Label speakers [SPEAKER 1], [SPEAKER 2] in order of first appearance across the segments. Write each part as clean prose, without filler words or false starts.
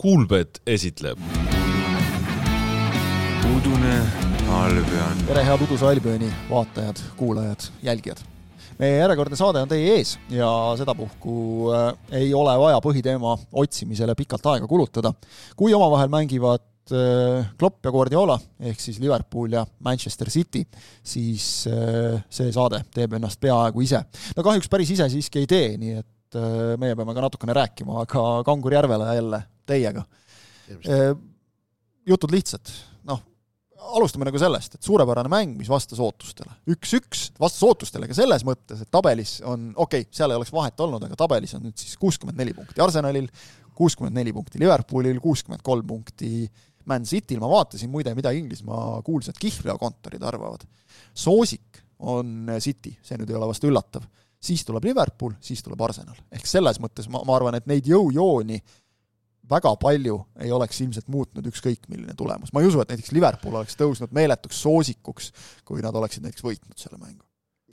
[SPEAKER 1] Kuulbet esitleb
[SPEAKER 2] Udune Albion.
[SPEAKER 3] Tere head Uduse Albioni vaatajad, kuulajad, jälgijad. Meie järjekordne saade on teie ees ja sedapuhku ei ole vaja põhiteema otsimisele pikalt aega kulutada. Kui omavahel mängivad Klopp ja Guardiola, ehk siis Liverpool ja Manchester City, siis see saade teeb ennast peaaegu ise. No kahjuks päris ise siiski ei tee, nii et meie peame ka natukene rääkima, aga Kangur Järvele jälle teiega. Jutud lihtsad. Alustame nagu sellest, et suurepärane mäng, mis vastas ootustele. 1-1 vastas ootustele ka selles mõttes, et tabelis on, seal ei oleks vahet olnud, aga tabelis on nüüd siis 64 punkti Arsenalil, 64 punkti Liverpoolil, 63 punkti Man Cityl. Ma vaatasin muide, mida Inglismaa kuulsad kihlveokontorid arvavad. Soosik on City, see nüüd ei ole vast üllatav. Siis tuleb Liverpool, siis tuleb Arsenal. Ehk selles mõttes ma arvan, et neid jõujooni väga palju ei oleks ilmselt muutnud ükskõik milline tulemus. Ma ei usu, et näiteks Liverpool oleks tõusnud meeletuks soosikuks, kui nad oleksid näiteks võitnud selle mängu.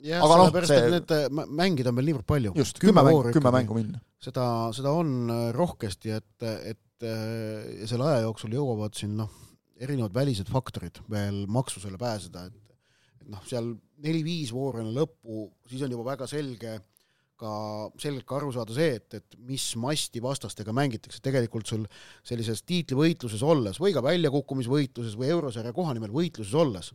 [SPEAKER 4] Ja, aga sellepärast, et need mängid on meil niivõrd palju.
[SPEAKER 3] Just, 10 mängu minna.
[SPEAKER 4] Seda on rohkesti, et selle aja jooksul jõuavad siin erinevad välised faktorid veel maksusele pääseda, et seal 4-5 voorene lõppu, siis on juba väga selgelt ka aru saada see, et mis masti vastastega mängitakse. Tegelikult sul sellises tiitlivõitluses olles või ka väljakukkumisvõitluses või eurosarja kohanimel võitluses olles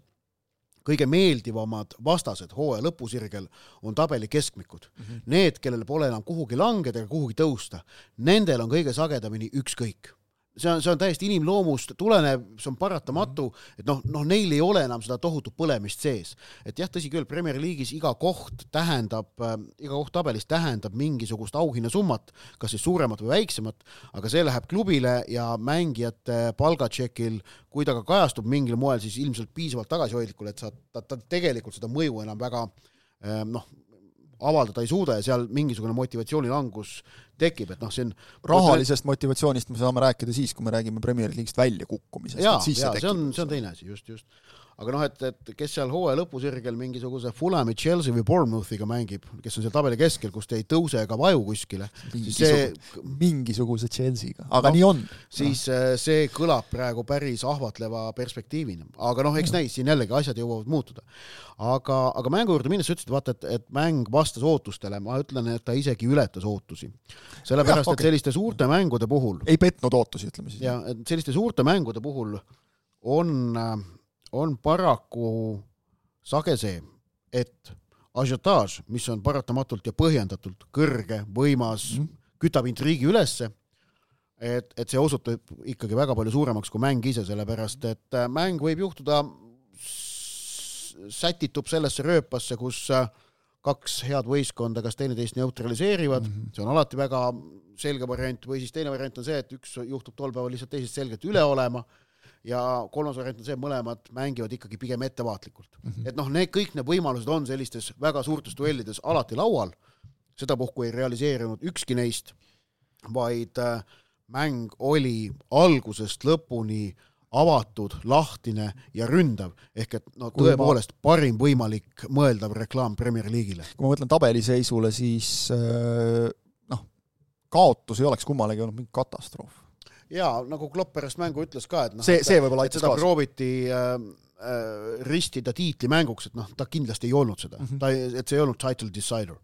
[SPEAKER 4] kõige meeldivamad vastased hooaja lõpusirgel on tabeli keskmikud. Need, kellel pole enam kuhugi langeda ega kuhugi tõusta, nendel on kõige sagedamini ükskõik. See on täiesti inimloomust tulenev, see on paratamatu, et neil ei ole enam seda tohutut põlemist sees. Et jah, tõsi küll, Premier League'is iga koht tabelis tähendab mingisugust auhinna summat, kas siis suuremat või väiksemat, aga see läheb klubile ja mängijate palgatšekil, kui ta ka kajastub mingil moel, siis ilmselt piisavalt tagasihoidlikul, et ta tegelikult seda mõju enam väga avaldada ei suuda ja seal mingisugune motivatsioonilangus tekib, et see on
[SPEAKER 3] rahalisest motivatsioonist me saame rääkida siis, kui me räägime Premier League'ist välja kukkumisest.
[SPEAKER 4] Jaa, see on teine asi, just. Aga et kes seal hooaja lõpusirgel mingisuguse Fulhami, Chelsea või Bournemouthiga mängib, kes on seal tabeli keskel, kus te ei tõuse ega vaju kuskile.
[SPEAKER 3] Mingisuguse Chelsea'ga, aga nii on.
[SPEAKER 4] Siis see kõlab praegu päris ahvatleva perspektiivina. Aga eks näis, siin jällegi asjad jõuavad muutuda. Aga mängu juurde minnes ütlesid, vaata, et mäng vastas ootustele. Ma ütlen, et ta isegi ületas ootusi. Sellepärast, et selliste suurte mängude puhul
[SPEAKER 3] ei petnud ootusi, ütleme siis.
[SPEAKER 4] Ja, et selliste suurte mängude puhul on paraku sage see, et ažiotaaž, mis on paratamatult ja põhjendatult kõrge, võimas, kütab intriigi ülesse, et see osutub ikkagi väga palju suuremaks kui mäng ise, sellepärast, et mäng võib juhtuda sätitub sellesse rööpasse, kus kaks head võistkonda kas teineteist neutraliseerivad, see on alati väga selge variant, või siis teine variant on see, et üks juhtub tol päeval lihtsalt teisest selgelt üle olema, ja kolmas variant on see, et mõlemad mängivad ikkagi pigem ettevaatlikult. Et kõik need võimalused on sellistes väga suurtes duellides alati laual, seda puhku ei realiseerinud ükski neist, vaid mäng oli algusest lõpuni avatud, lahtine ja ründav, ehk et tõepoolest parim võimalik mõeldav reklaam Premier League'ile.
[SPEAKER 3] Kui ma mõtlen tabeliseisule, siis kaotus ei oleks kummalegi olnud mingi katastroof.
[SPEAKER 4] Jaa, nagu Klopp pärast mängu ütles ka, et
[SPEAKER 3] see võib-olla aitas
[SPEAKER 4] seda prooviti ristida tiitlimänguks, et ta kindlasti ei olnud seda. Et see ei olnud title decider.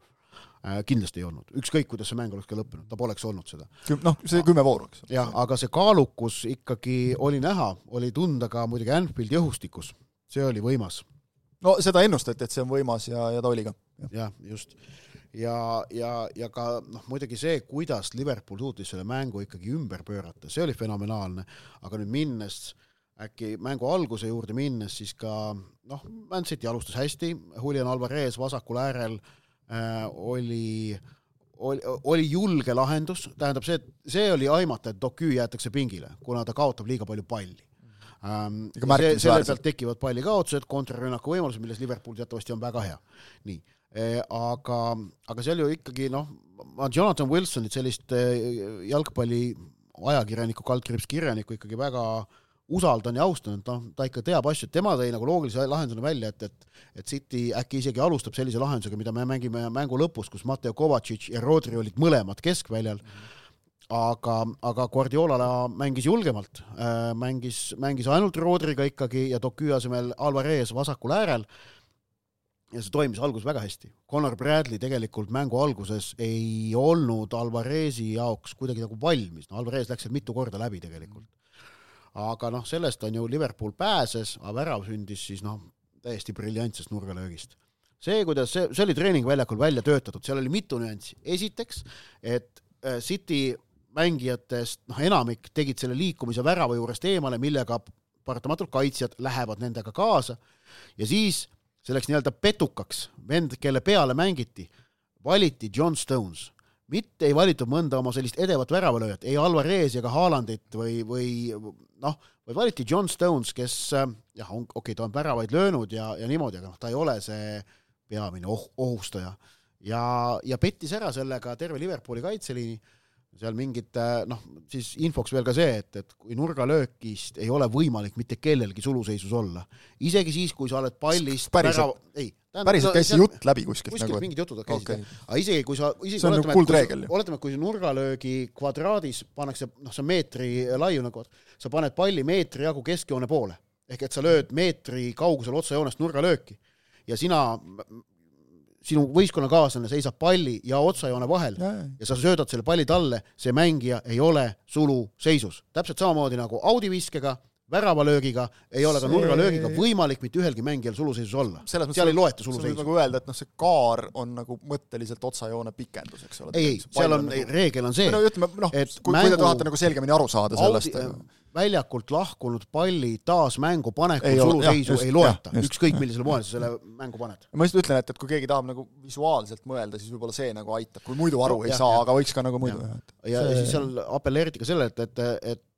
[SPEAKER 4] Kindlasti ei olnud. Ükskõik, kuidas see mäng oleks ka lõppenud, ta poleks olnud seda.
[SPEAKER 3] See 10 vooru, eks.
[SPEAKER 4] Jah, aga see kaalukus ikkagi oli näha, oli tunda ka muidugi Anfield jõhustikus. See oli võimas.
[SPEAKER 3] No seda ennustati, et see on võimas ja ta oli ka.
[SPEAKER 4] Jah, just. Ja ka muidugi see, kuidas Liverpool suutis selle mängu ikkagi ümber pöörata, see oli fenomenaalne, aga nüüd minnes, äkki mängu alguse juurde minnes, siis ka Man City alustas hästi, Julian Alvarez vasakul äärel oli julge lahendus, tähendab see oli aimata, et Doku jäetakse pingile, kuna ta kaotab liiga palju palli. Selle pealt tekivad palli kaotused, kontrarünnaku võimalused, milles Liverpool teatavasti on väga hea. Nii. Aga seal ju ikkagi Jonathan Wilsonit, sellist jalgpalli ajakirjaniku, kaldkirjanikku ikkagi väga usaldan ja austan, et ta ikka teab asju, et tema tõi nagu loogilise lahendusena välja, et City äkki isegi alustab sellise lahendusega, mida me mängime mängu lõpus, kus Mateo Kovacic ja Rodri olid mõlemad keskväljal, aga Guardiola mängis julgemalt, mängis ainult Rodriga ikkagi ja Doku asemel Alvarez vasakul äärel ja see toimis alguses väga hästi. Conor Bradley tegelikult mängu alguses ei olnud Alvarezi jaoks kuidagi nagu valmis. No, Alvarez läks mitu korda läbi tegelikult. Aga sellest on ju Liverpool pääses, aga värav sündis siis täiesti briljantsest nurgalöögist. See, kuidas see oli treeningväljakul välja töötatud, seal oli mitu nüanssi. Esiteks, et City mängijatest enamik tegid selle liikumise värava juurest eemale, millega paratamatult kaitsjad lähevad nendega kaasa ja siis selleks nii-öelda petukaks vend, kelle peale mängiti, valiti John Stones. Mitte ei valitud mõnda oma sellist edevat väravalööjat, ei Alvarez ega Haalandit või valiti John Stones, kes ta on väravaid löönud ja niimoodi, aga ta ei ole see peamine ohustaja. Ja pettis ära sellega terve Liverpooli kaitseliini. Seal mingid, siis infoks veel ka see, et kui nurgalöökist ei ole võimalik mitte kellelgi suluseisus olla. Isegi siis, kui sa oled pallist...
[SPEAKER 3] Päriselt käis jutt läbi kuskilt.
[SPEAKER 4] Kuskilt mingid jutud käisid. Aga isegi kui sa...
[SPEAKER 3] See on nagu kuldreegel.
[SPEAKER 4] Oletame, kui nurgalöögi kvadraadis pannakse, see meetri laiu nagu, sa paned palli meetri jagu keskjoone poole. Ehk et sa lööd meetri kaugusel otsajoonest nurgalööki ja sinu võistkonnakaaslane seisab palli ja otsajoone vahel ja sa söödad selle palli talle, see mängija ei ole suluseisus. Täpselt samamoodi nagu audiviskega, väravalöögiga, ei ole ka nurgalöögiga võimalik mitte ühelgi mängijal suluseisus olla. Seal ei loeta suluseisus.
[SPEAKER 3] Nagu öelda, et see kaar on nagu mõtteliselt otsajoone pikendus, eks ole.
[SPEAKER 4] Ei, seal on, reegel on see,
[SPEAKER 3] et kui te tahate nagu selgemini aru saada sellest.
[SPEAKER 4] Väljakult lahkunud palli taas mängu panekul suluseisu ei loeta. Ükskõik millisele moel sa selle mängu paned.
[SPEAKER 3] Ma just ütlen, et kui keegi tahab nagu visuaalselt mõelda, siis võib-olla see nagu aitab. Kui muidu aru ei saa, aga võiks ka nagu muidu.
[SPEAKER 4] Ja siis seal appelleeriti ka selle, et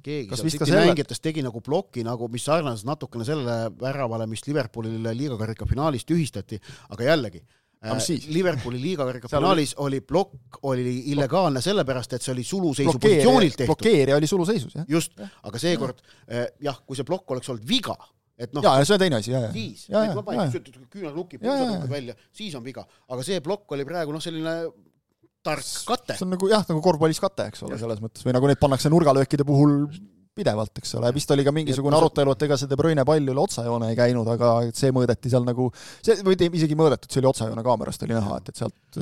[SPEAKER 4] keegi seal City mängijatest tegi nagu ploki, nagu, mis sarnases natukene selle väravale, mis Liverpoolile liigakarika finaalis tühistati, aga jällegi Liverpooli liigakarika finaalis oli plokk, oli illegaalne sellepärast, et see oli suluseisu positsioonilt tehtud.
[SPEAKER 3] Blokeerija oli suluseisus, jah.
[SPEAKER 4] Just, aga seekord, kui see plokk oleks olnud viga, et
[SPEAKER 3] see on teine asi,
[SPEAKER 4] siis, küünal nukib, välja, siis on viga. Aga see plokk oli praegu selline tark kate.
[SPEAKER 3] See on nagu korvpallis kate, eks ole, selles mõttes. Või nagu need pannakse nurgalöökide puhul pidevalt, eks ole. Vist oli ka mingisugune arutelu, et ega see De Bruyne pall üle otsajoone ei käinud, aga see mõõdeti seal nagu, või isegi mõõdetud, see oli otsajoone kaamerast, oli näha, et sealt,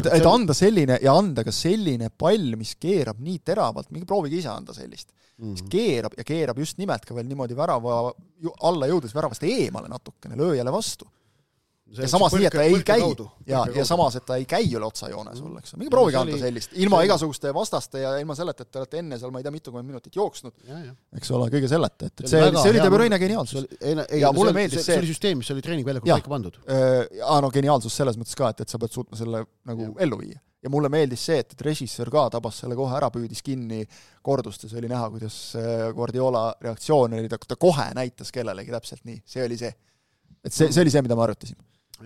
[SPEAKER 3] et anda selline ja anda ka selline pall, mis keerab nii teravalt, mingi proovige ise anda sellist. Keerab just nimelt ka veel niimoodi värava alla jõudes väravast eemale natukene, lööjale vastu. Ja samas nii, et ta ei käi ja samas, et ta ei käi üle otsajoone sul, eks. Mingi proovige anda sellist, ilma igasuguste vastaste ja ilma selleta, et te olete enne seal, ma ei tea, mitukümmend minutit jooksnud, eks ole, kõige selleta, et see oli De Bruyne geniaalsus.
[SPEAKER 4] Ja mulle meeldis see oli süsteem, mis oli treeningväljakul paika pandud.
[SPEAKER 3] Geniaalsus selles mõttes ka, et sa pead suutma selle nagu ellu viia. Ja mulle meeldis see, et režissöör ka tabas selle kohe ära, püüdis kinni kordustes, oli näha, kuidas Guardiola reaktsioon oli, ta kohe näitas kellelegi täpselt nii, see oli see. Et see oli see, mida ma arutasin.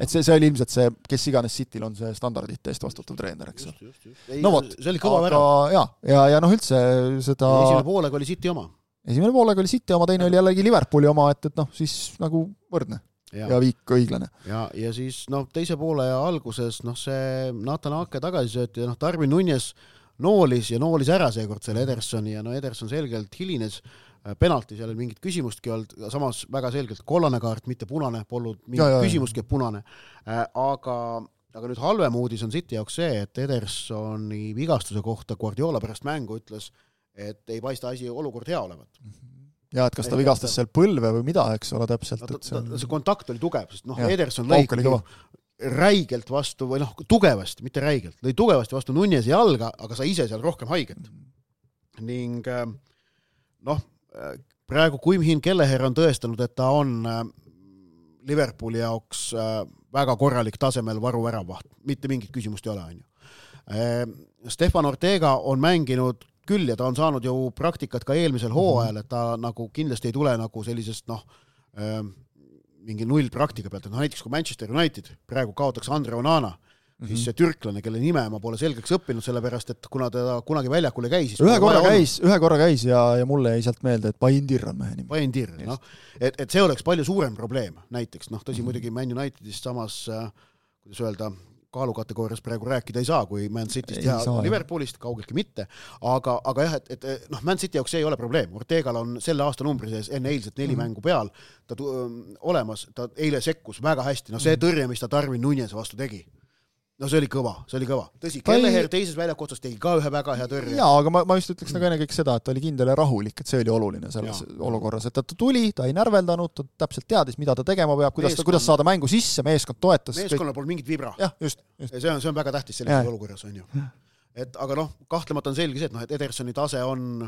[SPEAKER 3] Et see oli ilmselt see, kes iganes Cityl on see standardite eest vastutav treener, eks.
[SPEAKER 4] No vot, see oli kõva värav.
[SPEAKER 3] Ja üldse seda...
[SPEAKER 4] Esimene poolega oli City oma.
[SPEAKER 3] Teine oli jällegi Liverpooli oma, et siis nagu võrdne ja viik õiglane.
[SPEAKER 4] Ja siis teise poole alguses see Nathan Ake tagasisööti ja Darwin Núñez noolis ära seekord selle Edersoni ja Ederson selgelt hilines penalti, seal oli mingit küsimustki olnud, samas väga selgelt kollane kaart, mitte punane, polnud mingit küsimustki punane. Aga nüüd halvem uudis on City jaoks see, et Edersoni vigastuse kohta Guardiola pärast mängu ütles, et ei paista asi olukord hea olevat.
[SPEAKER 3] Ja, et kas ta vigastas seal põlve või mida, eks ole täpselt.
[SPEAKER 4] See kontakt oli tugev, sest Ederson lõi räigelt vastu, või tugevasti, mitte räigelt, lõi tugevasti vastu Núñezi jalga, aga sa ise seal rohkem haiget. Ning praegu Kuimhin Kelleher on tõestanud, et ta on Liverpooli jaoks väga korralik tasemel varuväravaht. Mitte mingit küsimust ei ole, Stefan Ortega on mänginud küll ja ta on saanud ju praktikat ka eelmisel hooajal, et ta nagu kindlasti ei tule nagu sellisest mingi null praktika pealt, et näiteks kui Manchester United praegu kaotaks Andre Onana, siis see türklane, kelle nime ma pole selgeks õppinud, sellepärast, et kuna ta kunagi väljakul ei käi, siis
[SPEAKER 3] ühe korra käis ja mulle jäi sealt meelde, et Baindir on mehe nimi.
[SPEAKER 4] Baindir, et see oleks palju suurem probleem näiteks, tõsi muidugi Man Unitedist samas, kuidas öelda, kaalukategoorias praegu rääkida ei saa, kui Man Cityst ja Liverpoolist, kaugeltki mitte, aga jah, et Man City jaoks see ei ole probleem. Ortegal on selle aasta numbri sees enne eilset 4 mängu peal ta olemas, ta eile sekkus väga hästi, see tõrje, mis ta Darwin Nunez vastu tegi. No see oli kõva. Tõsi, Kelleher teises väljaku otsas tegi ka ühe väga hea tõrje.
[SPEAKER 3] Jaa, aga ma just ütleks nagu enne kõik seda, et ta oli kindel ja rahulik, et see oli oluline selles olukorras, et ta tuli, ta ei närveldanud, ta täpselt teadis, mida ta tegema peab, kuidas saada mängu sisse, meeskond toetas.
[SPEAKER 4] Meeskonnal pole mingit vibra.
[SPEAKER 3] Jah, just.
[SPEAKER 4] See on väga tähtis selles olukorras, on ju. Aga kahtlemata on selge see, et Edersoni tase on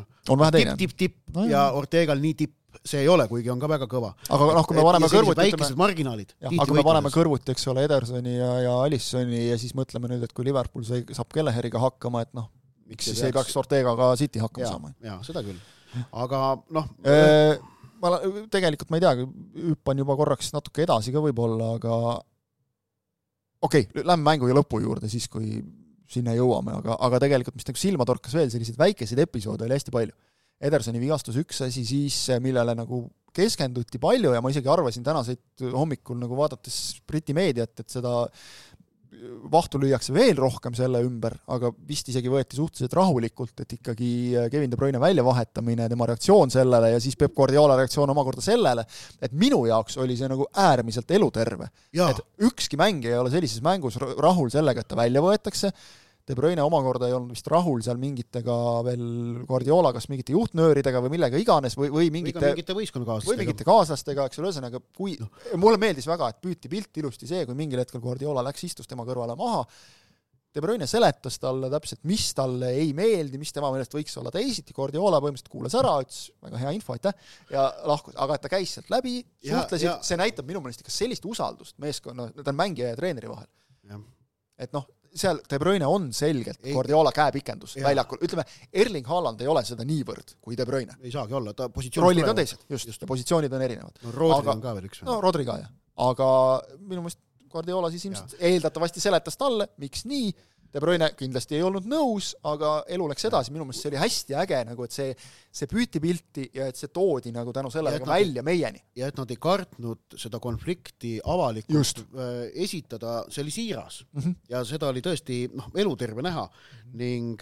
[SPEAKER 4] tipp ja Ortegal nii tipp see ei ole, kuigi on ka väga kõva.
[SPEAKER 3] Aga kui me paneme kõrvuti,
[SPEAKER 4] väikesed marginaalid.
[SPEAKER 3] Aga kui me paneme kõrvuti, eks ole, Edersoni ja Alissoni ja siis mõtleme nüüd, et kui Liverpool saab Kelleheriga hakkama, et miks siis ei peaks Ortegaga City hakkama saama.
[SPEAKER 4] Jaa, seda küll. Aga
[SPEAKER 3] tegelikult ma ei tea, hüppan juba korraks natuke edasi ka võib-olla, aga lähme mängu ja lõpu juurde siis, kui sinna jõuame, aga tegelikult mis silma torkas veel selliseid väikeseid episoode oli hästi palju. Edersoni vigastus üks asi siis, millele nagu keskenduti palju ja ma isegi arvasin tänaseid hommikul nagu vaadates Briti meediat, et seda vahtu lüüakse veel rohkem selle ümber, aga vist isegi võeti suhteliselt rahulikult, et ikkagi Kevin De Bruyne väljavahetamine, tema reaktsioon sellele ja siis Pep Guardiola reaktsioon omakorda sellele, et minu jaoks oli see nagu äärmiselt eluterve. Et ükski mängija ei ole sellises mängus rahul sellega, et ta välja võetakse. De Bruyne omakorda ei olnud vist rahul seal mingitega veel Guardiola, kas mingite juhtnööridega või millega iganes või mingite kaaslastega, eks ole, ühesõnaga, mulle meeldis väga, et püüti pilt ilusti see, kui mingil hetkel Guardiola läks, istus tema kõrvale maha. De Bruyne seletas talle täpselt, mis talle ei meeldi, mis tema meelest võiks olla teisiti. Guardiola põhimõtteliselt kuulas ära, ütles väga hea info, aitäh, ja lahkus, aga et ta käis sealt läbi, suhtlesid, see näitab minu meelest ikka sellist usaldust meeskonna, ta on mängija ja treeneri vahel. Et seal De Bruyne on selgelt Guardiola käepikendus väljakul. Ütleme, Erling Haaland ei ole seda niivõrd kui De Bruyne.
[SPEAKER 4] Ei saagi olla, ta
[SPEAKER 3] rollid on teised, just. Positsioonid on erinevad.
[SPEAKER 4] Rodri on ka veel üks.
[SPEAKER 3] Rodri ka, jah. Aga minu meelest Guardiola siis ilmselt eeldatavasti seletas talle, miks nii. De Bruyne kindlasti ei olnud nõus, aga elu läks edasi. Minu meelest see oli hästi äge, nagu, et see püüti pilti ja et see toodi nagu tänu sellega välja meieni.
[SPEAKER 4] Ja et nad ei kartnud seda konflikti avalikult esitada, see oli siiras. Ja seda oli tõesti eluterve näha. Ning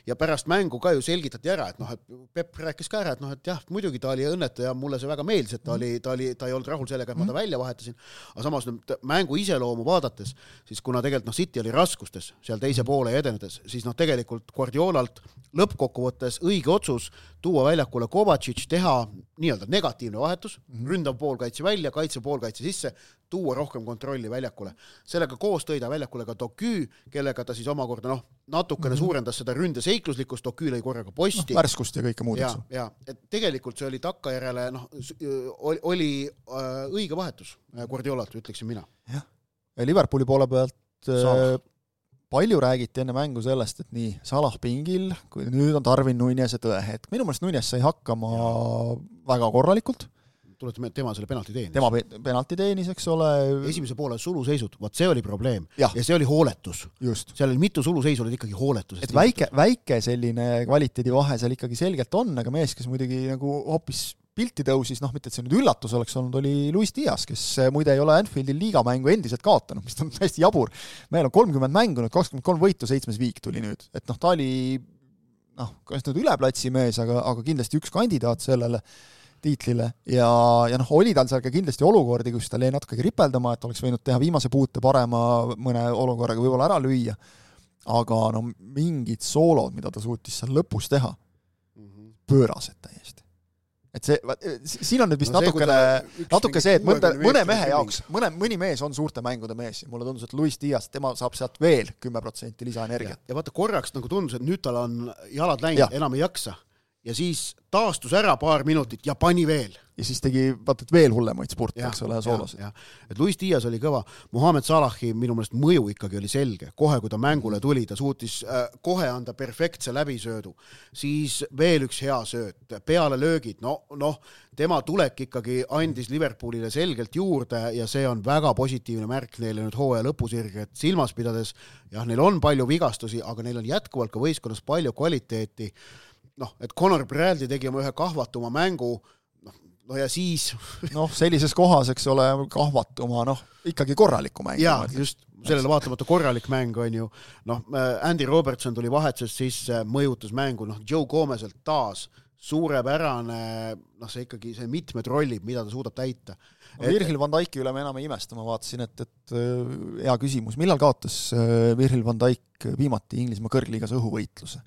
[SPEAKER 4] ja pärast mängu ka ju selgitati ära, et Pep rääkis ka ära, et jah, muidugi ta oli õnnetu ja mulle see väga meeldis, et ta ei olnud rahul sellega, et ma ta välja vahetasin, aga samas mängu iseloomu vaadates, siis kuna tegelikult City oli raskustes seal teise poole edenedes, siis tegelikult Guardiolalt lõppkokkuvõttes õige otsus tuua väljakule Kovacic, teha nii-öelda negatiivne vahetus, ründav poolkaitse välja, kaitse poolkaitse sisse, tuua rohkem kontrolli väljakule. Sellega koos tõi ta väljakule ka Doku, kellega ta siis omakorda natukene suurendas seda ründe seikluslikkust, Doku lõi korraga posti.
[SPEAKER 3] Värskust ja kõike muud.
[SPEAKER 4] Ja, et tegelikult see oli takkajärele, oli õige vahetus Guardiolalt, ütleksin mina.
[SPEAKER 3] Ja Liverpooli poole pealt palju räägiti enne mängu sellest, et nii Salah pingil, kui nüüd on Darwin Nunez ja tõehetk. Minu meelest Nunez sai hakkama väga korralikult.
[SPEAKER 4] Tuletame, tema selle penalti teenis.
[SPEAKER 3] Tema penalti teenis, eks ole.
[SPEAKER 4] Esimese poole suluseisud, see oli probleem. Ja see oli hooletus.
[SPEAKER 3] Just.
[SPEAKER 4] Seal oli mitu suluseisu, oli ikkagi hooletus.
[SPEAKER 3] Et väike selline kvaliteedi vahe seal ikkagi selgelt on, aga mees, kes muidugi nagu hoopis pilti tõusis, mitte et see nüüd üllatus oleks olnud, oli Luis Diaz, kes muide ei ole Anfieldil liigamängu endiselt kaotanud, mis on hästi jabur. Meil on 30 mängunud, 23 võitu, 7 viik tuli nüüd. Et ta oli kas nüüd üleplatsi mees, aga kindlasti üks kandidaat sellele tiitlile ja oli tal seal ka kindlasti olukordi, kus ta lõi natuke ripeldama, et oleks võinud teha viimase puute parema mõne olukorraga võib-olla ära lüüa, aga mingid soolod, mida ta suutis seal lõpus teha, pöörased täiesti. Et siin on nüüd vist natuke see, et mõne mehe jaoks, mõni mees on suurte mängude mees ja mulle tundus, et Luis Diaz, tema saab sealt veel 10% lisaenergiat.
[SPEAKER 4] Ja vaata korraks tundus, et nüüd tal on jalad läinud, enam ei jaksa. Ja siis taastus ära paar minutit ja pani veel.
[SPEAKER 3] Ja siis tegi veel hullemaid spurte, eks ole, soolosid.
[SPEAKER 4] Et Luis Diaz oli kõva. Mohamed Salahi minu meelest mõju ikkagi oli selge. Kohe, kui ta mängule tuli, ta suutis kohe anda perfektse läbisöödu. Siis veel üks hea sööt. Peale löögid. Tema tulek ikkagi andis Liverpoolile selgelt juurde ja see on väga positiivne märk neile nüüd hooaja lõpusirge. Et silmas pidades, neil on palju vigastusi, aga neil on jätkuvalt ka võistkonnas palju kvaliteeti. Et Conor Bradley tegi oma ühe kahvatuma mängu, no ja siis
[SPEAKER 3] sellises kohas, eks ole, kahvatuma, ikkagi korraliku mäng.
[SPEAKER 4] Jaa, just sellele vaatamata korralik mäng on ju, Andy Robertson tuli vahetuses sisse, mõjutas mängu, Joe Gomeselt taas suurepärane, see ikkagi see mitmed rollid, mida ta suudab täita.
[SPEAKER 3] Virgil van Dijki üle me enam ei imesta, ma vaatasin, et hea küsimus. Millal kaotas Virgil van Dijk viimati Inglismaa kõrgliigas õhuvõitluse?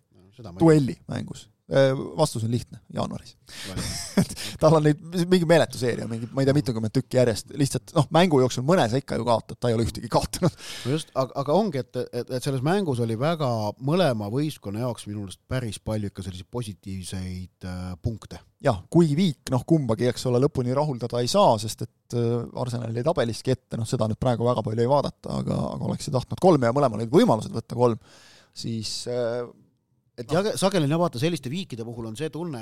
[SPEAKER 3] Duelli mängus. Vastus on lihtne, jaanuaris. Tal on neid mingi meeletu seeria, ma ei tea, mitukümmend tükki järjest, lihtsalt mängu jooksul mõnes ikka ju kaotad, ta ei ole ühtegi kaotanud.
[SPEAKER 4] Just, aga ongi, et selles mängus oli väga mõlema võistkonna jaoks minulest päris palju ikka selliseid positiivseid punkte.
[SPEAKER 3] Jah, kuigi Viik, kumbagi, eks ole, lõpuni rahuldada ei saa, sest et Arsenal jäi tabeliski ette, seda nüüd praegu väga palju ei vaadata, aga oleks tahtnud 3 ja mõlemal olid võimalused võtta 3, siis
[SPEAKER 4] sageli vaata selliste Viikide puhul on see tunne,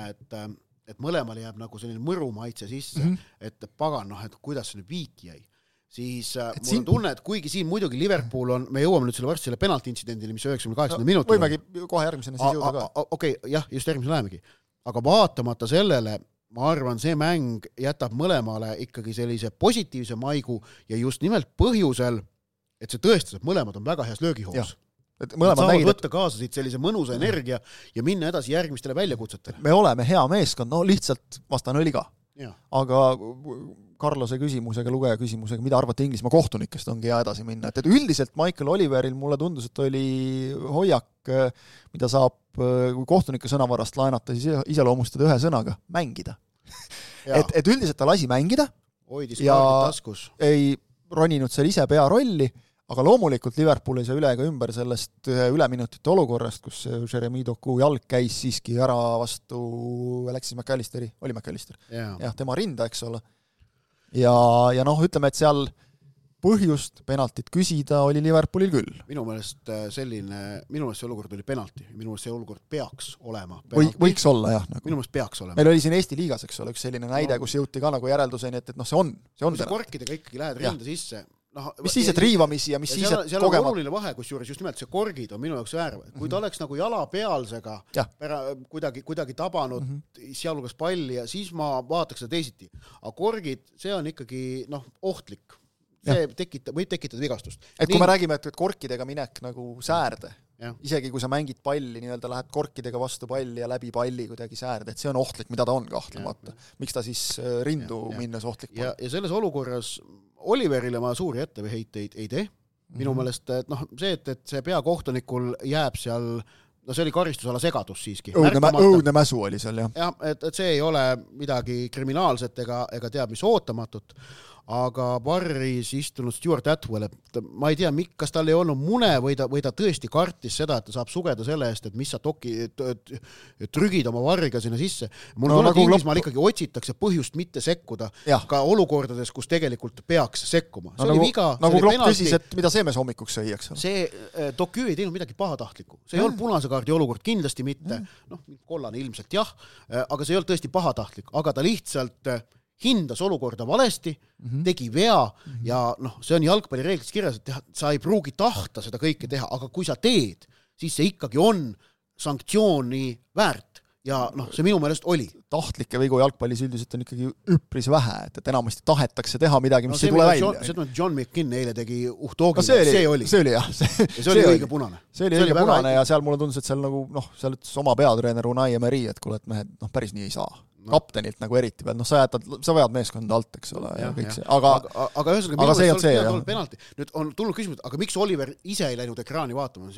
[SPEAKER 4] et mõlemale jääb nagu selline mõru maitse sisse, et pagan, et kuidas see nüüd Viik jäi. Siis mul on tunne, et kuigi siin muidugi Liverpool on, me jõuame nüüd selle varsti selle penalti intsidendini, mis 98 minutil
[SPEAKER 3] võimegi kohe järgmisena siis jõuda ka.
[SPEAKER 4] Okei, jah, just järgmisena lähemegi. Aga vaatamata sellele, ma arvan, see mäng jätab mõlemale ikkagi sellise positiivse maigu ja just nimelt põhjusel, et see tõestas, et mõlemad on väga heas löögihoos. Saavad võtta kaasa siit sellise mõnusa energia ja minna edasi järgmistele väljakutsetele.
[SPEAKER 3] Me oleme hea meeskond, lihtsalt vastane oli ka. Aga Carlose küsimusega, lugeja küsimusega, mida arvate Inglismaa kohtunikest, ongi hea edasi minna. Et üldiselt Michael Oliveril mulle tundus, et oli hoiak, mida saab, kui kohtunike sõnavarast laenata, siis iseloomustada ühe sõnaga, mängida. et üldiselt ta lasi mängida
[SPEAKER 4] hoidis kaardid taskus.
[SPEAKER 3] Ei roninud seal ise pearolli, aga loomulikult Liverpool ei saa üle ega ümber sellest üleminutite olukorrast, kus Jeremy Doku jalg käis siiski ära vastu Alexis McAllisteri, oli McAllister. Jah, tema rinda, eks ole. Ja ütleme, et seal põhjust penaltit küsida oli Liverpoolil küll.
[SPEAKER 4] Minu meelest see olukord oli penalti. Minu meelest see olukord peaks olema
[SPEAKER 3] penalti. Võiks olla, jah.
[SPEAKER 4] Minu meelest peaks olema.
[SPEAKER 3] Meil oli siin Eesti liigas, eks ole, üks selline näide, kus jõuti ka nagu järelduseni, et see on penalti.
[SPEAKER 4] Korkidega ikkagi lähed rinda sisse.
[SPEAKER 3] Mis siis, et riivamisi ja mis siis, et
[SPEAKER 4] seal on oluline vahe, kus juures just nimelt see korgid on minu jaoks väärv. Kui ta oleks nagu jala pealsega kuidagi tabanud sealhulgas palli ja siis ma vaataks seda teisiti. Aga korgid, see on ikkagi ohtlik. See võib tekitada vigastust.
[SPEAKER 3] Et kui me räägime, et korkidega minek nagu säärde, isegi kui sa mängid palli, lähed korkidega vastu palli ja läbi palli kuidagi säärde, et see on ohtlik, mida ta on kahtlemata. Miks ta siis rindu minnes ohtlik pole?
[SPEAKER 4] Ja selles olukorras Oliverile ma suuri etteheiteid ei tee. Minu meelest, et see peakohtunikul jääb seal, see oli karistusala segadus siiski.
[SPEAKER 3] Õudne mäsu oli seal, jah.
[SPEAKER 4] Jah, et see ei ole midagi kriminaalset ega teab mis ootamatut, aga barris istunud Stuart Atwell, et ma ei tea, kas tal ei olnud mune või ta tõesti kartis seda, et ta saab sugeda selle eest, et mis sa trügid oma varriga sinna sisse. Mul on nagu Inglismaal ikkagi otsitakse põhjust mitte sekkuda ka olukordades, kus tegelikult peaks sekkuma. See oli viga.
[SPEAKER 3] Nagu Klopp küsis, et mida Seemes hommikuks sõi, eks ole.
[SPEAKER 4] See Doku ei teinud midagi pahatahtlikku. See ei olnud punase kaardi olukord, kindlasti mitte. Kollane ilmselt jah, aga see ei olnud tõesti pahatahtlik, aga ta lihtsalt hindas olukorda valesti, tegi vea ja see on jalgpallireeglites kirjas, et sa ei pruugi tahta seda kõike teha, aga kui sa teed, siis see ikkagi on sanktsiooni väärt ja see minu meelest oli.
[SPEAKER 3] Tahtlikke vigu jalgpallis üldiselt on ikkagi üpris vähe, et enamasti tahetakse teha midagi, mis ei tule välja.
[SPEAKER 4] See John McKinn eile tegi uhtoogi, see oli.
[SPEAKER 3] See oli jah.
[SPEAKER 4] See oli õige punane.
[SPEAKER 3] See oli õige punane ja seal mulle tundus, et seal nagu, seal ütles oma peatreener Unai Emery, et kuule, et mehed, päris nii ei saa. Kaptenilt nagu eriti peal, sa vajad meeskonda alt, eks ole, ja kõik see.
[SPEAKER 4] Aga see on see, penalti. Nüüd on tulnud küsimus, aga miks Oliver ise ei läinud ekraani vaatama?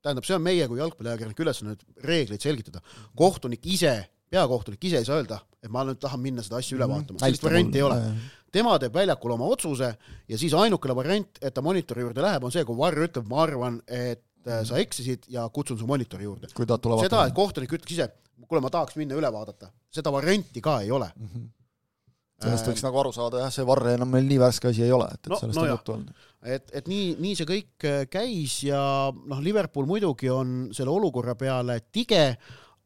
[SPEAKER 4] Tähendab, see on meie kui jalgpalliajakirjanik ülesanne reegleid selgitada. Peakohtunik ise ei saa öelda, et ma nüüd tahan minna seda asja üle vaatama. Sellist varianti ei ole. Tema teeb väljakul oma otsuse ja siis ainukene variant, et ta monitori juurde läheb, on see, kui varr ütleb, ma arvan, et sa eksisid ja kutsun su monitori juurde. Seda, et kohtunik ütleks ise, kuule, ma tahaks minna üle vaadata. Seda varianti ka ei ole.
[SPEAKER 3] Sellest võiks nagu aru saada, jah, see varre enam meil nii värske asi ei ole, et sellest on juttu olnud.
[SPEAKER 4] Et nii see kõik käis ja Liverpool muidugi on selle olukorra peale tige,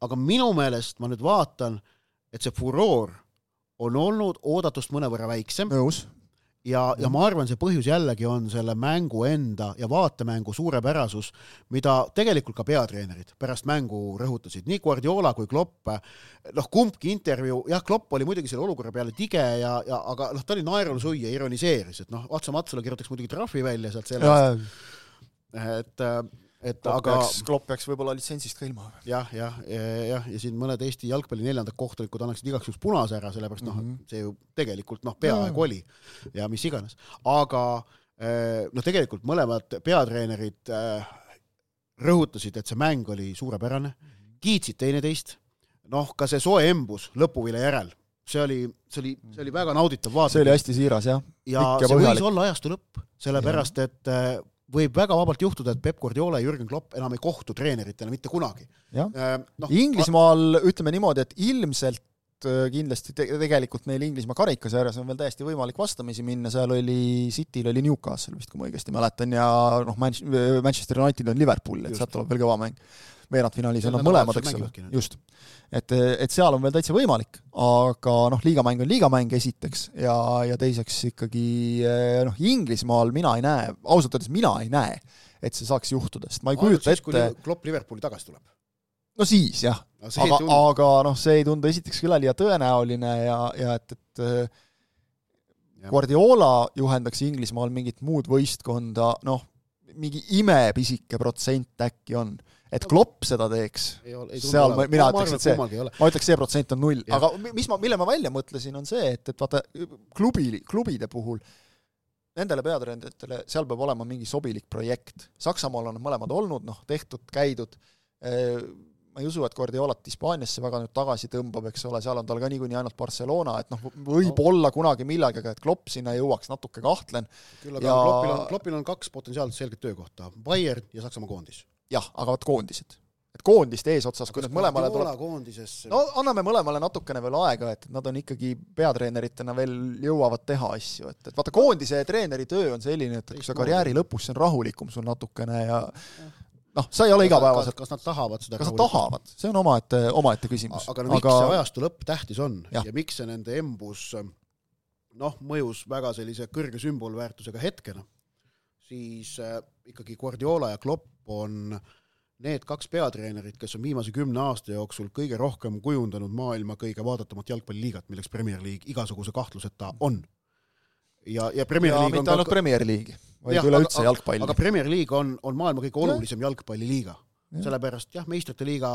[SPEAKER 4] aga minu meelest ma nüüd vaatan, et see furoor on olnud oodatust mõnevõrra väiksem.
[SPEAKER 3] Nõus.
[SPEAKER 4] ja ma arvan, see põhjus jällegi on selle mängu enda ja vaatemängu suurepärasus, mida tegelikult ka peatreenerid pärast mängu rõhutasid. Nii Guardiola kui Klopp, kumbki intervjuu, Klopp oli muidugi selle olukorra peale tige, aga ta oli naerul suia, ironiseeris, et Atsa Matsula kirjutaks muidugi trahvi välja sealt sellest.
[SPEAKER 3] Klopp peaks võib-olla litsentsist ka ilma.
[SPEAKER 4] Ja siin mõned Eesti jalgpalli 4. kohtunikud annaksid igaks juhuks punase ära, sellepärast see ju tegelikult peaaegu oli ja mis iganes. Aga tegelikult mõlemad peatreenerid rõhutasid, et see mäng oli suurepärane, kiitsid teineteist, ka see soe embus lõpuvile järel, see oli väga nauditav vaata.
[SPEAKER 3] See oli hästi siiras, jah.
[SPEAKER 4] Ja see võis olla ajastu lõpp, sellepärast, et võib väga vabalt juhtuda, et Pep Guardiola ja Jürgen Klopp enam ei kohtu treeneritena mitte kunagi.
[SPEAKER 3] Inglismaal ütleme niimoodi, et ilmselt kindlasti tegelikult neil Inglismaa karikas ääres on veel täiesti võimalik vastamisi minna, seal oli Cityl oli Newcastle vist, kui ma õigesti mäletan, ja Manchester United on Liverpool, et sealt tuleb veel kõva mäng. Veerandfinaalis on mõlemad, eks ole. Just. Et seal on veel täitsa võimalik, aga liigamäng on liigamäng esiteks ja teiseks ikkagi Inglismaal mina ei näe, ausalt öeldes mina ei näe, et see saaks juhtuda, sest ma ei kujuta ette...
[SPEAKER 4] Kui Klopp Liverpooli tagasi tuleb?
[SPEAKER 3] No siis, jah. Aga see ei tundu esiteks küll ja tõenäoline ja et Guardiola juhendaks Inglismaal mingit muud võistkonda, mingi imepisike protsent äkki on. Et Klopp seda teeks, seal mina ütleks, ma ütleks, see protsent on 0. Aga mille ma välja mõtlesin, on see, et vaata, klubide puhul, nendele peatreeneritele, seal peab olema mingi sobilik projekt. Saksamaal on mõlemad olnud, tehtud, käidud. Ma ei usu, et Guardiolat Hispaaniasse väga nüüd tagasi tõmbab, eks ole, seal on tal ka niikuinii ainult Barcelona, et võib olla kunagi millegagi, et Klopp sinna jõuaks natuke kahtlen.
[SPEAKER 4] Küll, aga Kloppil on 2 potentsiaalselt selget töökohta, Bayern ja Saksamaa koondis.
[SPEAKER 3] Jah, aga koondised. Et koondist eesotsas, kui need mõlemale anname mõlemale natukene veel aega, et nad on ikkagi peatreeneritena veel jõuavad teha asju. Et vaata, koondise treeneri töö on selline, et kui sa karjääri lõpus see on rahulikum sul natukene ja sa ei ole igapäevaselt.
[SPEAKER 4] Kas nad tahavad seda
[SPEAKER 3] rahulikum? Kas nad tahavad? See on omaette küsimus.
[SPEAKER 4] Aga miks see ajastu lõpp tähtis on ja miks see nende embus mõjus väga sellise kõrge sümbolväärtusega hetkena, siis ikkagi Guardiola ja Klopp on need 2 peatreenerit, kes on viimase 10 aasta jooksul kõige rohkem kujundanud maailma kõige vaadatamat jalgpalliliigat, milleks Premier League igasuguse kahtluseta on. Ja Premier League
[SPEAKER 3] mitte ainult Premier League, vaid üleüldse jalgpalli.
[SPEAKER 4] Aga Premier League on maailma kõige olulisem jalgpalliliiga. Sellepärast, meestrite liiga,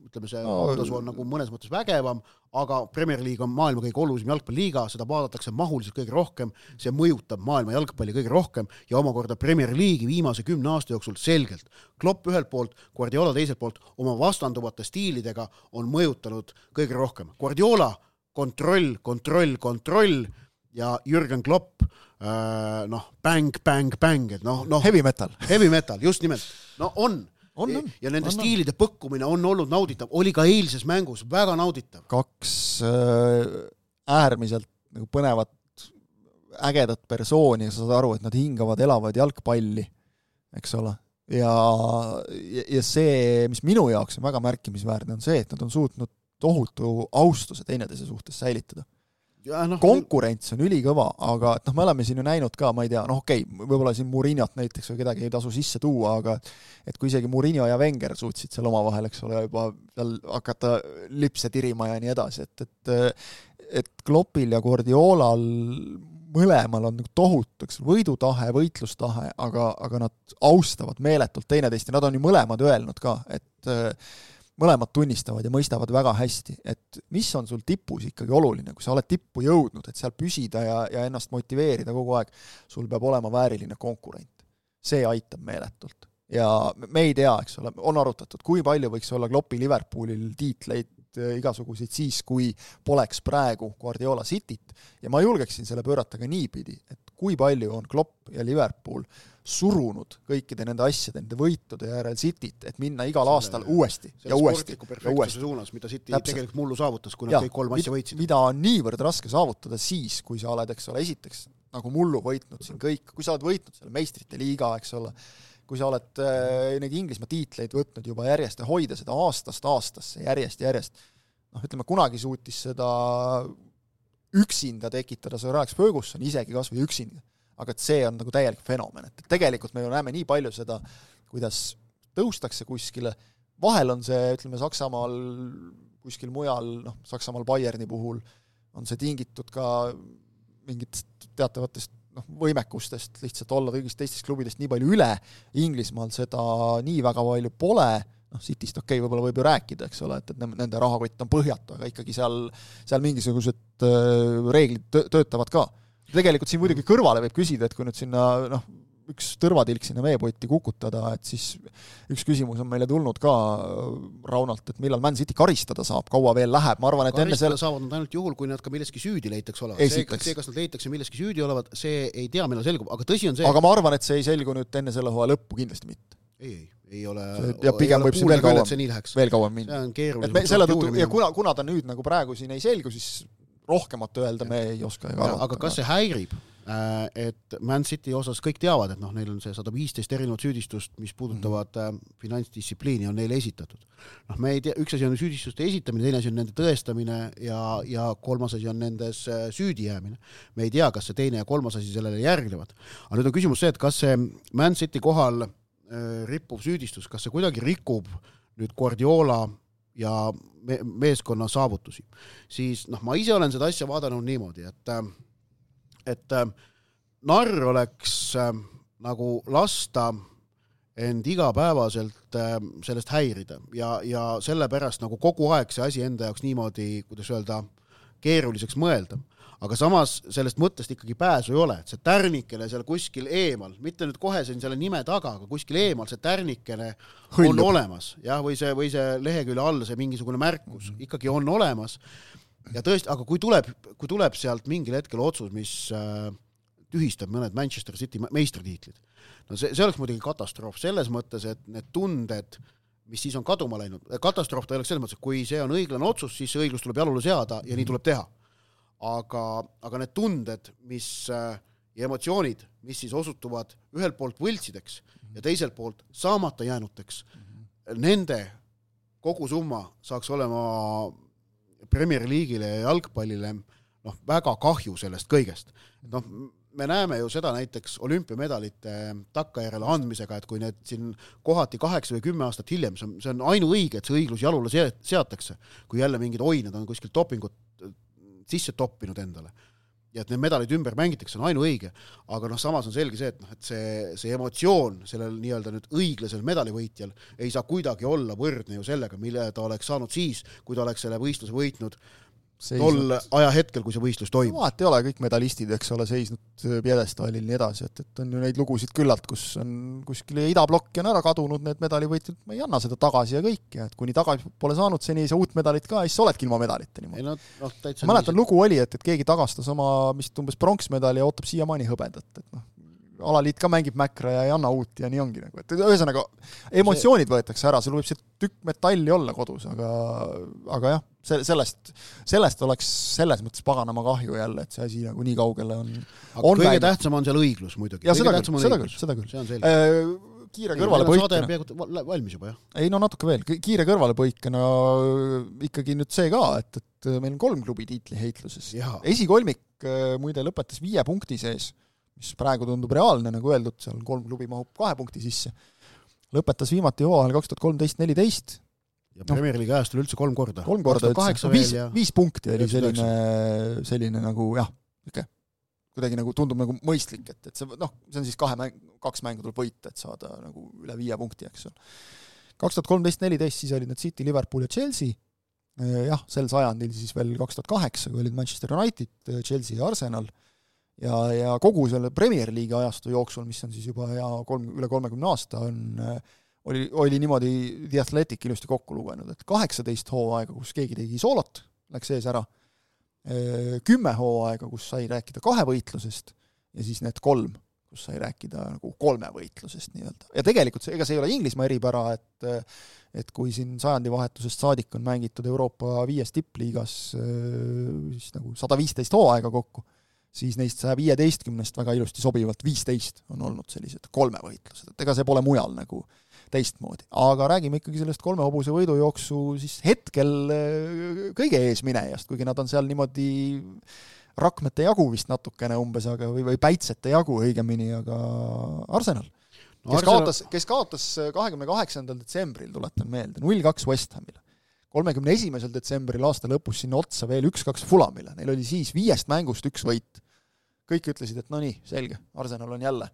[SPEAKER 4] ütleme see tasu on nagu mõnes mõttes vägevam, aga Premier League on maailma kõige olulisem jalgpalliliiga, seda vaadatakse mahuliselt kõige rohkem, see mõjutab maailma jalgpalli kõige rohkem ja omakorda Premier League'i viimase 10 aasta jooksul selgelt. Klopp ühelt poolt, Guardiola teiselt poolt oma vastanduvate stiilidega on mõjutanud kõige rohkem. Guardiola kontroll ja Jürgen Klopp bang,
[SPEAKER 3] heavy metal,
[SPEAKER 4] just nimelt, on. Ja nende stiilide põkkumine on olnud nauditav, oli ka eilses mängus väga nauditav.
[SPEAKER 3] 2 äärmiselt põnevat, ägedat persooni ja sa saad aru, et nad hingavad, elavad jalgpalli, eks ole. Ja see, mis minu jaoks on väga märkimisväärne, on see, et nad on suutnud tohutu austuse teineteise suhtes säilitada. Konkurents on ülikõva, aga me oleme siin ju näinud ka, ma ei tea, võib-olla siin Mourinhot näiteks või kedagi ei tasu sisse tuua, aga et kui isegi Mourinho ja Wenger suutsid seal oma vahel, eks ole, juba seal hakata lipse tirima ja nii edasi, et Kloppil ja Guardiolal mõlemal on tohutuks võidutahe, võitlustahe, aga nad austavad meeletult teineteist ja nad on ju mõlemad öelnud ka, et mõlemad tunnistavad ja mõistavad väga hästi, et mis on sul tipus ikkagi oluline, kui sa oled tippu jõudnud, et seal püsida ja ennast motiveerida kogu aeg, sul peab olema vääriline konkurent. See aitab meeletult. Ja me ei tea, eks ole, on arutatud, kui palju võiks olla Kloppi Liverpoolil tiitleid igasuguseid siis, kui poleks praegu Guardiola Cityt. Ja ma julgeksin selle pöörata ka niipidi, et kui palju on Klopp ja Liverpool surunud kõikide nende asjade, nende võitude järel Cityt, et minna igal aastal uuesti ja uuesti.
[SPEAKER 4] Sportliku perfektsuse suunas, mida City tegelikult mullu saavutas, kui nad kõik 3 asja võitsid.
[SPEAKER 3] Mida on niivõrd raske saavutada siis, kui sa oled, eks ole, esiteks nagu mullu võitnud siin kõik, kui sa oled võitnud selle meistrite liiga, eks ole, kui sa oled neid Inglismaa tiitleid võtnud juba järjest ja hoida seda aastast aastasse järjest. Ütleme, kunagi suutis seda üksinda tekitada Sir Alex Ferguson, isegi kas või üksinda, aga et see on nagu täielik fenomen, et tegelikult me ju näeme nii palju seda, kuidas tõustakse kuskile, vahel on see, ütleme, Saksamaal kuskil mujal, Saksamaal Bayerni puhul on see tingitud ka mingitest teatavatest võimekustest lihtsalt olla kõigist teistest klubidest nii palju üle, Inglismaal seda nii väga palju pole, Cityst võib-olla võib ju rääkida, eks ole, et nende rahakott on põhjatu, aga ikkagi seal mingisugused reeglid töötavad ka. Tegelikult siin muidugi kõrvale võib küsida, et kui nüüd sinna üks tõrvatilk sinna veepotti kukutada, et siis üks küsimus on meile tulnud ka Raunalt, et millal Man City karistada saab, kaua veel läheb, ma arvan, et enne
[SPEAKER 4] karistada saavad nad ainult juhul, kui nad ka milleski süüdi leitakse olevat. See, kas nad leitakse milleski süüdi olevat, see ei tea, millal selgub, aga tõsi on see...
[SPEAKER 3] Aga ma arvan, et see ei selgu nüüd enne selle hooaja lõppu kindlasti mitte.
[SPEAKER 4] Ei ole...
[SPEAKER 3] Ja pigem võib see veel kauem minna.
[SPEAKER 4] See on keeruline.
[SPEAKER 3] Ja kuna ta nüüd nagu praegu siin ei selgu, siis rohkemat öelda me ei oska.
[SPEAKER 4] Aga kas see häirib? Et Man City osas kõik teavad, et neil on see 115 erinevat süüdistust, mis puudutavad finantsdistsipliini, on neile esitatud. Me ei tea, üks asi on süüdistuste esitamine, teine asi on nende tõestamine ja kolmas asi on nendes süüdi jäämine. Me ei tea, kas see teine ja kolmas asi sellele järgnevad. Aga nüüd on küsimus see, et kas see Man City kohal rippuv süüdistus, kas see kuidagi rikub nüüd Guardiola ja meeskonna saavutusi. Siis ma ise olen seda asja vaadanud niimoodi, et narr oleks nagu lasta end igapäevaselt sellest häirida ja sellepärast nagu kogu aeg see asi enda jaoks niimoodi, kuidas öelda, keeruliseks mõelda. Aga samas sellest mõttest ikkagi pääsu ei ole, et see tärnikene seal kuskil eemal, mitte nüüd kohe selle nime taga, aga kuskil eemal see tärnikene on olemas, jah, või see lehekülje all see mingisugune märkus ikkagi on olemas. Ja tõesti, aga kui tuleb sealt mingil hetkel otsus, mis tühistab mõned Manchester City meistritiitlid, see oleks muidugi katastroof selles mõttes, et need tunded, mis siis on kaduma läinud, katastroof ta oleks selles mõttes, et kui see on õiglane otsus, siis see õiglus tuleb jalule seada ja nii tuleb teha. Aga need tunded, ja emotsioonid, mis siis osutuvad ühelt poolt võltsideks ja teiselt poolt saamata jäänuteks, nende kogu summa saaks olema Premier League'ile ja jalgpallile väga kahju sellest kõigest. Me näeme ju seda näiteks olümpiamedalite takkajärele andmisega, et kui need siin kohati 8 või 10 aastat hiljem, see on ainuõige, et see õiglus jalule seatakse, kui jälle mingid oinad on kuskil dopingut sisse toppinud endale. Ja et need medalid ümber mängitakse, on ainuõige. Aga samas on selge see, et see emotsioon sellel nii-öelda nüüd õiglasel medalivõitjal ei saa kuidagi olla võrdne ju sellega, mille ta oleks saanud siis, kui ta oleks selle võistluse võitnud tol ajahetkel, kui see võistlus toimub.
[SPEAKER 3] Vaat ei ole kõik medalistid, eks ole, seisnud pjedestaalil nii edasi, et on ju neid lugusid küllalt, kus on kuskil idablokki on ära kadunud need medalivõitjad, ma ei anna seda tagasi ja kõik, ja et kuni tagasi pole saanud, seni ei saa uut medalit ka, siis oledki ilma medalita niimoodi. Mäletan lugu oli, et keegi tagastas oma umbes pronksmedali ja ootab siiamaani hõbedat, et alaliit ka mängib mäkra ja ei anna uut ja nii ongi. Et ühesõnaga, emotsioonid võetakse ära, sul võib see tükk metalli olla kodus, aga jah, sellest oleks selles mõttes paganama kahju jälle, et see asi nagu nii kaugele on
[SPEAKER 4] kõige tähtsam on seal õiglus muidugi.
[SPEAKER 3] Ja seda küll. Kiire kõrvalepõikena.
[SPEAKER 4] Valmis juba, jah?
[SPEAKER 3] Ei, natuke veel. Kiire kõrvalepõikena ikkagi nüüd see ka, et meil on 3 klubi tiitli heitluses. Esikolmik muide lõpetas 5 punkti sees, mis praegu tundub reaalne, nagu öeldud, seal 3 klubi mahub 2 punkti sisse. Lõpetas viimati hooajal 2013-14.
[SPEAKER 4] Ja Premier League ajastul üldse 3 korda.
[SPEAKER 3] 3 korda, 5 punkti oli selline nagu, jah, kuidagi nagu tundub nagu mõistlik, et see on siis 2 mängu tuleb võita, et saada nagu üle 5 punkti, eks. 2013-14 siis olid need City, Liverpool ja Chelsea. Jah, sel sajandil siis veel 2008, kui olid Manchester United, Chelsea ja Arsenal. Ja kogu selle Premier League ajastu jooksul, mis on siis juba üle 30 aasta, oli niimoodi The Athletic ilusti kokku lugenud, et 18 hooaega, kus keegi tegi soolot, läks ees ära, 10 hooaega, kus sai rääkida 2 võitlusest ja siis need 3, kus sai rääkida nagu 3 võitlusest nii-öelda. Ja tegelikult ega see ei ole Inglismaa eripära, et kui siin sajandivahetusest saadik on mängitud Euroopa 5 tippliigas siis nagu 115 hooaega kokku, siis neist 115 väga ilusti sobivalt 15 on olnud sellised 3 võitlused, et ega see pole mujal nagu teistmoodi. Aga räägime ikkagi sellest 3 hobuse võidujooksu siis hetkel kõige eesminejast, kuigi nad on seal niimoodi Rakmete jagu vist natukene umbes, aga või Päitsete jagu õigemini, aga Arsenal, kes kaotas 28. detsembril, tuletan meelde, 0-2 West Hamile. 31. detsembril aasta lõpus sinna otsa veel 1-2 Fulamile. Neil oli siis 5 mängust 1 võit. Kõik ütlesid, et no nii, selge, Arsenal on jälle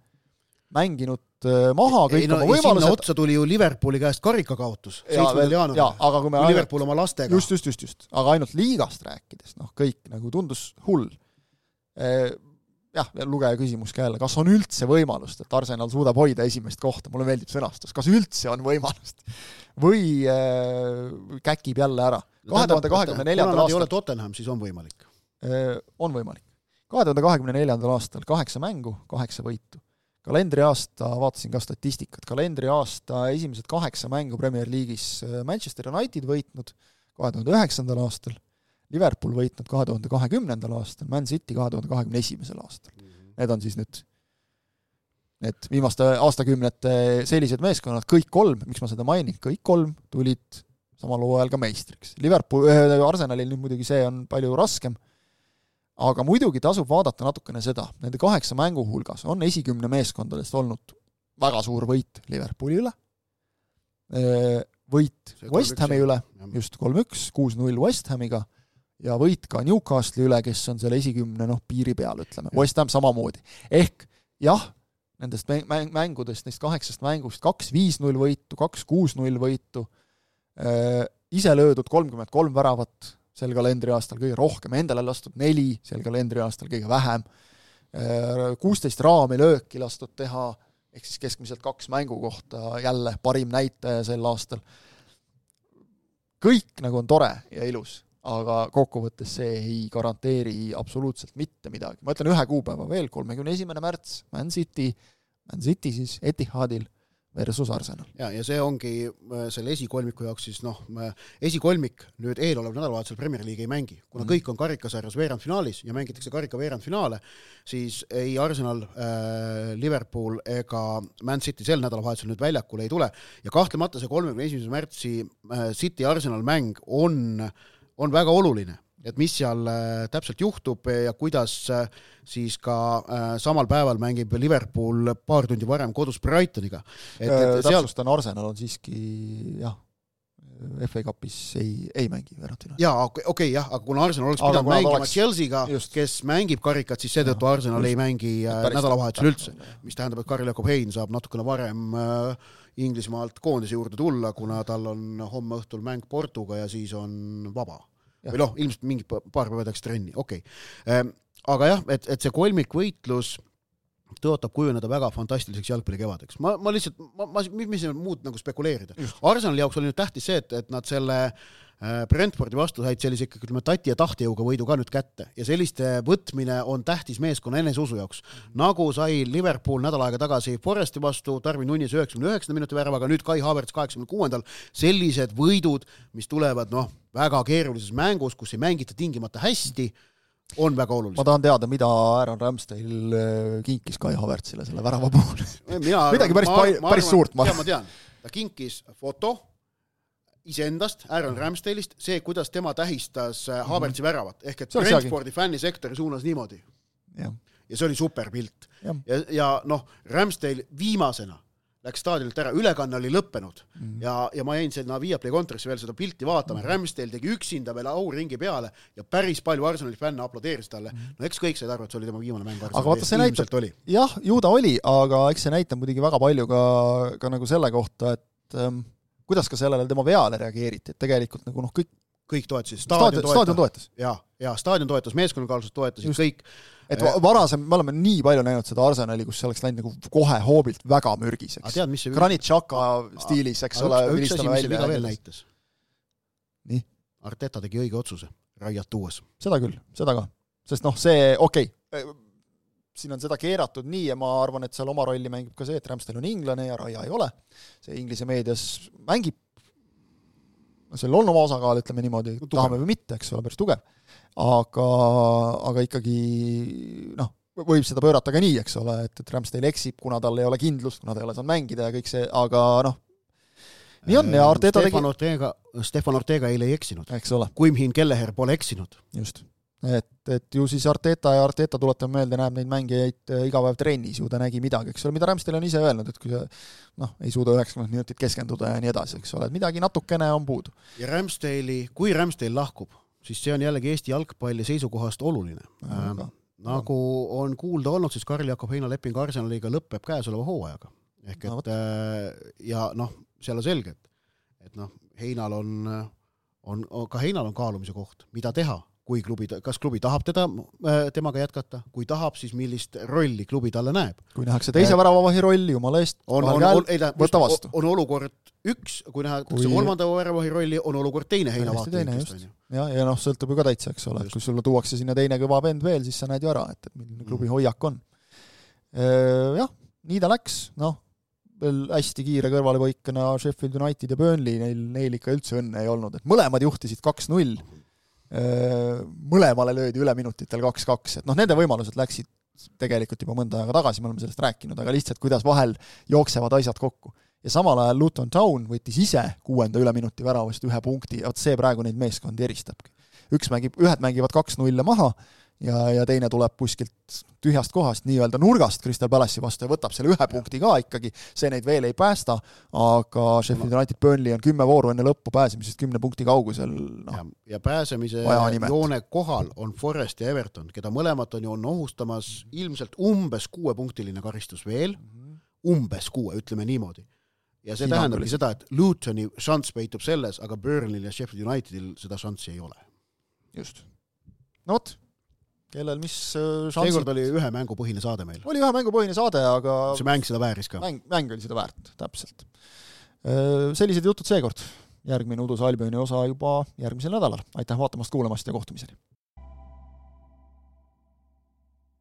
[SPEAKER 3] mänginud maha kõik oma võimalused.
[SPEAKER 4] Sinna otsa tuli ju Liverpooli käest karikakaotus 7. jaanuaril, kui Liverpool oma lastega.
[SPEAKER 3] Just. Aga ainult liigast rääkides, kõik nagu tundus hull. Jah, lugeja küsimus ka jälle, kas on üldse võimalust, et Arsenal suudab hoida esimest kohta, mulle meeldib sõnastus, kas üldse on võimalust või käkib jälle ära. 2024.
[SPEAKER 4] Kuna nad ei ole Tottenham, siis on võimalik.
[SPEAKER 3] On võimalik. 2024. aastal 8 mängu, 8 võitu. Kalendriaasta, vaatasin ka statistikat, kalendriaasta esimesed 8 mängu Premier League'is Manchester United võitnud 2009. aastal, Liverpool võitnud 2020. aastal, Man City 2021. aastal. Need on siis nüüd need viimaste aastakümnete sellised meeskonnad, kõik 3, miks ma seda mainin, kõik 3 tulid samal hooajal ka meistriks. Arsenalil nüüd muidugi see on palju raskem, aga muidugi tasub vaadata natukene seda. Nende 8 mängu hulgas on 10 meeskondadest olnud väga suur võit Liverpooli üle, võit West Hami üle, just 3-1, 6-0 West Hamiga, ja võit ka Newcastle'i üle, kes on selle 10 piiri peal, ütleme. West Ham samamoodi. Ehk jah, nendest mängudest, neist 8 mängust 2 5-0 võitu, 2 6-0 võitu, ise löödud 33 väravat sel kalendriaastal kõige rohkem, endale lastud 4, sel kalendriaastal kõige vähem, 16 raami lööki lastud teha, ehk siis keskmiselt 2 mängu kohta jälle parim näitaja sel aastal. Kõik nagu on tore ja ilus, aga kokkuvõttes see ei garanteeri absoluutselt mitte midagi. Ma ütlen 1 kuupäeva veel, 31. märts, Man City siis Etihadil versus Arsenal.
[SPEAKER 4] Ja see ongi selle esikolmiku jaoks siis esikolmik nüüd eelolev nädalavahetusel Premier League ei mängi. Kuna kõik on karikasarjas veerandfinaalis ja mängitakse karika veerandfinaale, siis ei Arsenal, Liverpool ega Man City sel nädalavahetusel nüüd väljakule ei tule. Ja kahtlemata see 31. märtsi City-Arsenal mäng on väga oluline, et mis seal täpselt juhtub ja kuidas siis ka samal päeval mängib Liverpool paar tundi varem kodus Brightoniga.
[SPEAKER 3] Täpsustan, Arsenal on siiski FA Cupis ei mängi veerandfinaali.
[SPEAKER 4] Jaa, okei, aga kuna Arsenal oleks pidanud mängima Chelsea'ga, kes mängib karikat, siis seetõttu Arsenal ei mängi nädalavahetusel üldse, mis tähendab, et Karel Jakob Hein saab natukene varem Inglismaalt koondise juurde tulla, kuna tal on homme õhtul mäng Portuga ja siis on vaba. Või ilmselt mingi paar päeva tehakse trenni, okei. Aga jah, et see kolmikvõitlus tõotab kujuneda väga fantastiliseks jalgpallikevadeks. Ma lihtsalt, mis muud nagu spekuleerida. Arsenali jaoks oli nüüd tähtis see, et nad selle Brentfordi vastu said sellise tati ja tahtejõuga võidu ka nüüd kätte. Ja selliste võtmine on tähtis meeskonna eneseusu jaoks. Nagu sai Liverpool nädal aega tagasi Foresti vastu, Darwin Núñez 99 minuti väravaga, nüüd Kai Havertz 86. Sellised võidud, mis tulevad väga keerulises mängus, kus ei mängita tingimata hästi, on väga olulised.
[SPEAKER 3] Ma tahan teada, mida Aaron Ramsdale kinkis Kai Havertzile selle värava puhul. Midagi päris suurt.
[SPEAKER 4] Ma tean, ta kinkis foto iseendast, Aaron Ramsdale'ist, see, kuidas tema tähistas Havertzi väravat, ehk et Brentfordi fännisektori suunas niimoodi. Ja see oli super pilt. Ja Ramsdale viimasena läks staadionilt ära, ülekanne oli lõppenud ja ma jäin sinna Viaplay kontorisse veel seda pilti vaatama, Ramsdale tegi üksinda veel auringi peale ja päris palju Arsenali fänne aplodeeris talle. Eks kõik said arvu, et see oli tema viimane mäng Arsenali.
[SPEAKER 3] Aga vaata, see näitab, jah, ju ta oli, aga eks see näitab muidugi väga palju ka nagu selle kohta, et kuidas ka sellele tema veale reageeriti, et tegelikult nagu
[SPEAKER 4] kõik toetasid.
[SPEAKER 3] Staadion toetas.
[SPEAKER 4] Ja staadion toetas, meeskonnakaalsused toetasid, kõik.
[SPEAKER 3] Et varasem, me oleme nii palju näinud seda Arsenali, kus see oleks läinud nagu kohe hoobilt väga mürgiseks. Granit Xhaka stiilis, eks ole.
[SPEAKER 4] Üks asi, mis see viga veel näitas. Nii. Arteta tegi õige otsuse, Raiat tuues.
[SPEAKER 3] Seda küll, seda ka. Sest see, siin on seda keeratud nii ja ma arvan, et seal oma rolli mängib ka see, et Ramsdale on inglane ja Raia ei ole. See Inglise meedias mängib, seal on oma osakaal, ütleme niimoodi, tahame või mitte, eks ole, päris tugev. Aga ikkagi võib seda pöörata ka nii, eks ole, et Ramsdale eksib, kuna tal ei ole kindlust, kuna ta ei ole saanud mängida ja kõik see, aga nii on ja Arteta
[SPEAKER 4] Stefan Ortega eile ei eksinud.
[SPEAKER 3] Eks ole.
[SPEAKER 4] Kuimhin Kelleher pole eksinud.
[SPEAKER 3] Just. et ju siis Arteta tuletab meelde, näeb neid mängijaid iga päev trennis, ju ta nägi midagi, eks ole, mida Ramsdale on ise öelnud, et kui sa ei suuda 90 minutit keskenduda ja nii edasi, eks ole, et midagi natukene on puudu.
[SPEAKER 4] Ja kui Ramsdale lahkub, siis see on jällegi Eesti jalgpalli seisukohast oluline. Nagu on kuulda olnud, siis Karl-Jakob Heina leping Arsenaliga lõpeb käesoleva hooajaga. Ehk et ja seal on selge, et Heinal ka Heinal on kaalumise koht, mida teha, kui kas klubi tahab temaga jätkata, kui tahab, siis millist rolli klubi talle näeb.
[SPEAKER 3] Kui nähakse teise väravavahi rolli, jumala eest, võta vastu.
[SPEAKER 4] On olukord üks, kui nähakse kolmanda väravavahi rolli, on olukord teine Heina vaatevinkest.
[SPEAKER 3] Ja sõltub ju ka täitsa, eks ole, et kui sulle tuuakse sinna teine kõva vend veel, siis sa näed ju ära, et milline klubi hoiak on. Jah, nii ta läks, veel hästi kiire kõrvalepõikana Sheffield United ja Burnley, neil ikka üldse õnne ei olnud, et mõlemad juhtisid 2-0, mõlemale löödi üle minutitel 2-2, et nende võimalused läksid tegelikult juba mõnda aega tagasi, me oleme sellest rääkinud, aga lihtsalt kuidas vahel jooksevad asjad kokku. Ja samal ajal Luton Town võttis ise 6. üleminuti väravast 1 punkti, ja see praegu neid meeskondi eristabki. Ühed mängivad 2-0 maha, ja teine tuleb kuskilt tühjast kohast, nii-öelda nurgast Crystal Palace'i vastu ja võtab selle 1 punkti ka ikkagi, see neid veel ei päästa, aga Sheffield United Burnley on 10 vooru enne lõppu pääsemisest 10 punkti kaugusel.
[SPEAKER 4] Ja pääsemise joone kohal on Forest ja Everton, keda mõlemat on ohustamas ilmselt umbes 6-punktiline karistus veel, umbes 6, ütleme niimoodi. Ja see tähendabki seda, et Lutoni šanss peitub selles, aga Burnley ja Sheffield Unitedil seda šanssi ei ole.
[SPEAKER 3] Just. No vot, kellel mis šansid...
[SPEAKER 4] Seekord oli 1 mängupõhine saade meil.
[SPEAKER 3] Oli 1 mängupõhine saade, aga...
[SPEAKER 4] See mäng seda vääris ka.
[SPEAKER 3] Mäng oli seda väärt, täpselt. Sellised jutud seekord. Järgmine Udus Albioni osa juba järgmisel nädalal. Aitäh vaatamast, kuulamast ja kohtumiseni!